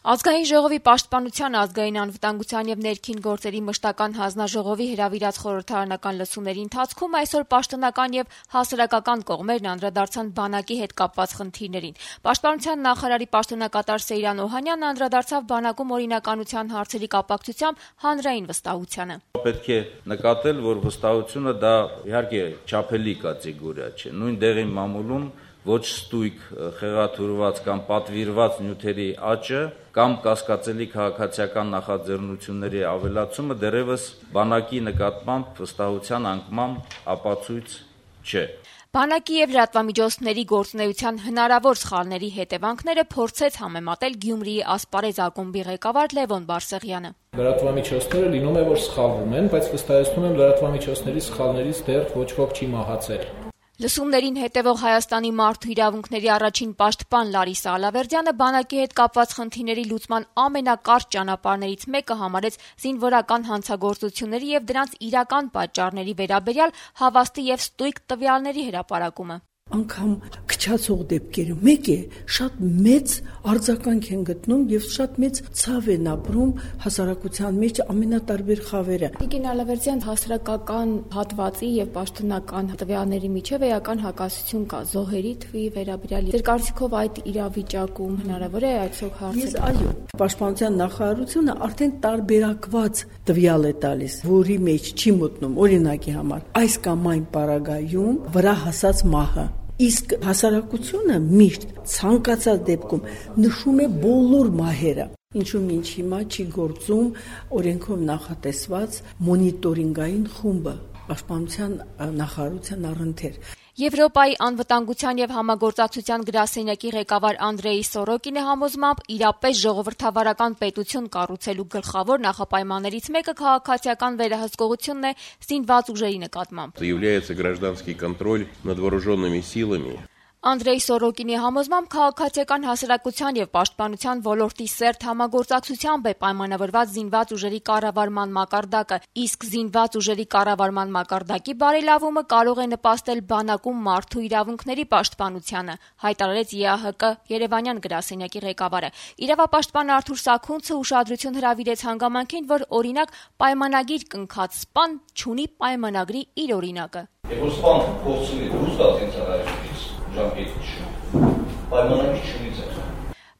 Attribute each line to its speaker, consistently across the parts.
Speaker 1: Ազգային ժողովի պաշտպանության, ազգային անվտանգության եւ ներքին գործերի մշտական հանձնաժողովի հրավիրած խորհրդարանական լսումների ընթացքում այսօր պաշտոնական եւ հասարակական կողմերն անդրադարձան բանակի հետ կապված խնդիրներին։ Պաշտպանության նախարարի պաշտոնակատար Սեյրան Օհանյանն անդրադարձավ բանակում օրինականության հարցերի կապակցությամբ հանրային վստահությանը։
Speaker 2: Պետք է նկատել, որ վստահությունը դա իհարկե չափելի կատեգորիա չէ։ Նույն դեղին մամուլում ոչ ստույգ, խեղաթյուրված կամ պատվիրված նյութերի աճը կամ կասկածելի քաղաքացիական նախաձեռնությունների ավելացումը դեռևս բանակի նկատմամբ վստահության անկման ապացույց չէ։
Speaker 1: Բանակի եւ լրատվամիջոցների գործունեության հնարավոր սխալների հետևանքները փորձեց համեմատել Գյումրիի Ասպարեզ ակումբի ղեկավար Լևոն Բարսեղյանը։
Speaker 3: Լրատվամիջոցները լինում է, որ սխալվում են, բայց վստահեցնում եմ լրատվամիջոցների սխալներից դեռ ոչ ոք չի մահացել։
Speaker 1: Լսումներին հետևող Հայաստանի մարդու իրավունքների առաջին պաշտպան Լարիսա Ալավերդյանը բանակի հետ կապված խնդիրների լուծման ամենակարճ ճանապարհներից մեկը համարեց զինվորական հանցագործությունների եւ դրանց իրական պատճառների վերաբերյալ հավաստի եւ ստույգ տվյալների հրապարակումը։
Speaker 4: Անգամ քչացող դեպքերը մեկ է, շատ մեծ արձագանք են գտնում եւ շատ մեծ ցավ են ապրում հասարակության մեջ ամենատարբեր խավերը։
Speaker 1: Տիկին Ալավերդյան, հասարակական հատվածի եւ պաշտոնական տվյալների միջև էական հակասություն կա զոհերի թվի վերաբերյալ։ Ձեր կարծիքով այդ իրավիճակում հնարավոր է այսօր հարցը։
Speaker 4: Այո, Պաշտպանության նախարարությունը արդեն տարբերակված տվյալ է տալիս, որի մեջ չի մտնում օրինակի համար այս կամ այն պարագայում վրա հասած մահը։ Իսկ հասարակությունը միշտ ցանկացած դեպքում նշում է բոլոր մահերը, ինչու մինչ հիմա չի գործում օրենքով նախատեսված մոնիտորինգային խումբը պաշտպանության նախարարության առընթեր։
Speaker 1: Եվրոպայի անվտանգության եւ համագործակցության գրասենյակի ղեկավար Անդրեյ Սորոկինի համոզմամբ իրապես ժողովրդավարական պետություն կառուցելու գլխավոր նախապայմաններից մեկը քաղաքացիական վերահսկողությունն է զինված ուժերի նկատմամբ։
Speaker 5: Является гражданский контроль над вооруженными силами.
Speaker 1: Անդրեյ Սորոկինի համոզմամբ քաղաքացիական հասարակության եւ պաշտպանության ոլորտի սերտ համագործակցությամբ է պայմանավորված զինված ուժերի կառավարման մակարդակը, իսկ զինված ուժերի կառավարման մակարդակի բարելավումը կարող է նպաստել բանակում մարդու իրավունքների պաշտպանությանը, հայտարարեց ԵԱՀԿ Երևանյան գրասենյակի ղեկավարը։ Իրավապաշտպան Արթուր Սաքունցը ուշադրություն հրավիրեց հանգամանքին, որ օրինակ պայմանագիր կնքած սպան չունի պայմանագրի իր օրինակը։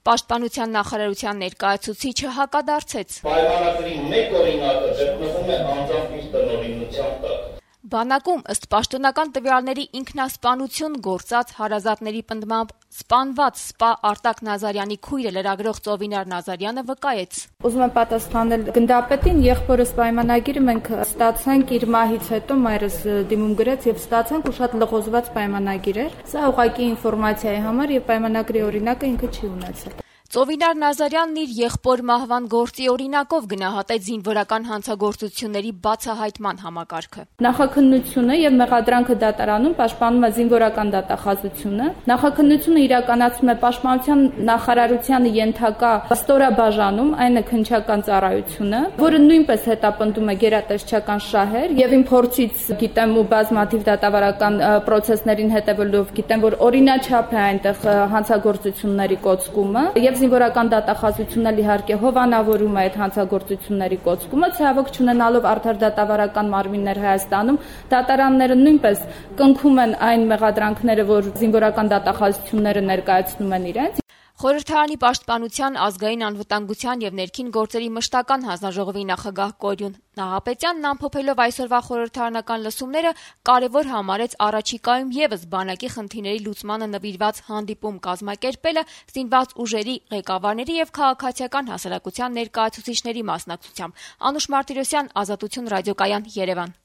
Speaker 1: Պաշտպանության նախարարության ներկայացուցիչը հակադարձեց։
Speaker 6: Պայմանագրի մեկ օրինակը գտնվում է անձամբ իր տնօրինության տակ։
Speaker 1: Բանակում ըստ պաշտոնական տվյալների ինքնասպանություն գործած հարազատների պնդմամբ սպանված սպա Արտակ Նազարյանի քույրը լրագրող Ծովինար Նազարյանը վկայեց։
Speaker 7: Ուզում եմ պատասխանել գնդապետին, եղբորս պայմանագիրը մենք ստացանք իր մահից հետո, մայրս դիմում գրեց եւ ստացանք ու շատ լղոզված պայմանագիր էր։ Սա ուղղակի ինֆորմացիայի համար եւ պայմանագրի օրինակը ինքը չի ունեցել։
Speaker 1: Ծովինար Նազարյանն իր եղբոր մահվան գործի օրինակով գնահատեց զինվորական հանցագործությունների բացահայտման համակարգը։
Speaker 7: Նախաքննությունը եւ մեղադրանքը դատարանում պաշտպանում է զինվորական դատախազությունը։ Նախաքննությունը իրականացում է պաշտպանության նախարարությանը ենթակա ստորաբաժանում, այն է քննչական ծառայությունը, որը նույնպես հետապնդում է գերատեսչական շահեր եւ իմ փորձից գիտեմ ու բազմաթիվ դատավարական process-ներին հետևելով գիտեմ, որ օրինաչափ է այնտեղ հանցագործությունների կոծկումը եւ զինվորական դատախազությունն էլ իհարկե հովանավորում է այդ հանցագործությունների կոծկումը, ցավոք չունենալով արդար դատավարական մարմիններ Հայաստանում, դատարանները նույնպես կնքում են այն մեղադրանքները, որ զինվորական դատախազությունները ներկայացնում են իրենց։
Speaker 1: Խորհրդարանի պաշտպանության, ազգային անվտանգության եւ ներքին գործերի մշտական հանձնաժողովի նախագահ Կորյուն Նահապետյանն ամփոփելով այսօրվա խորհրդարանական լսումները կարևոր համարեց առաջիկայում եւս բանակի խնդիրների լուծմանը նվիրված հանդիպում կազմակերպելը զինված ուժերի ղեկավարների եւ քաղաքացիական հասարակության ներկայացուցիչների մասնակցությամբ։ Անուշ Մարտիրոսյան, Ազատություն ռադիոկայան, Երևան։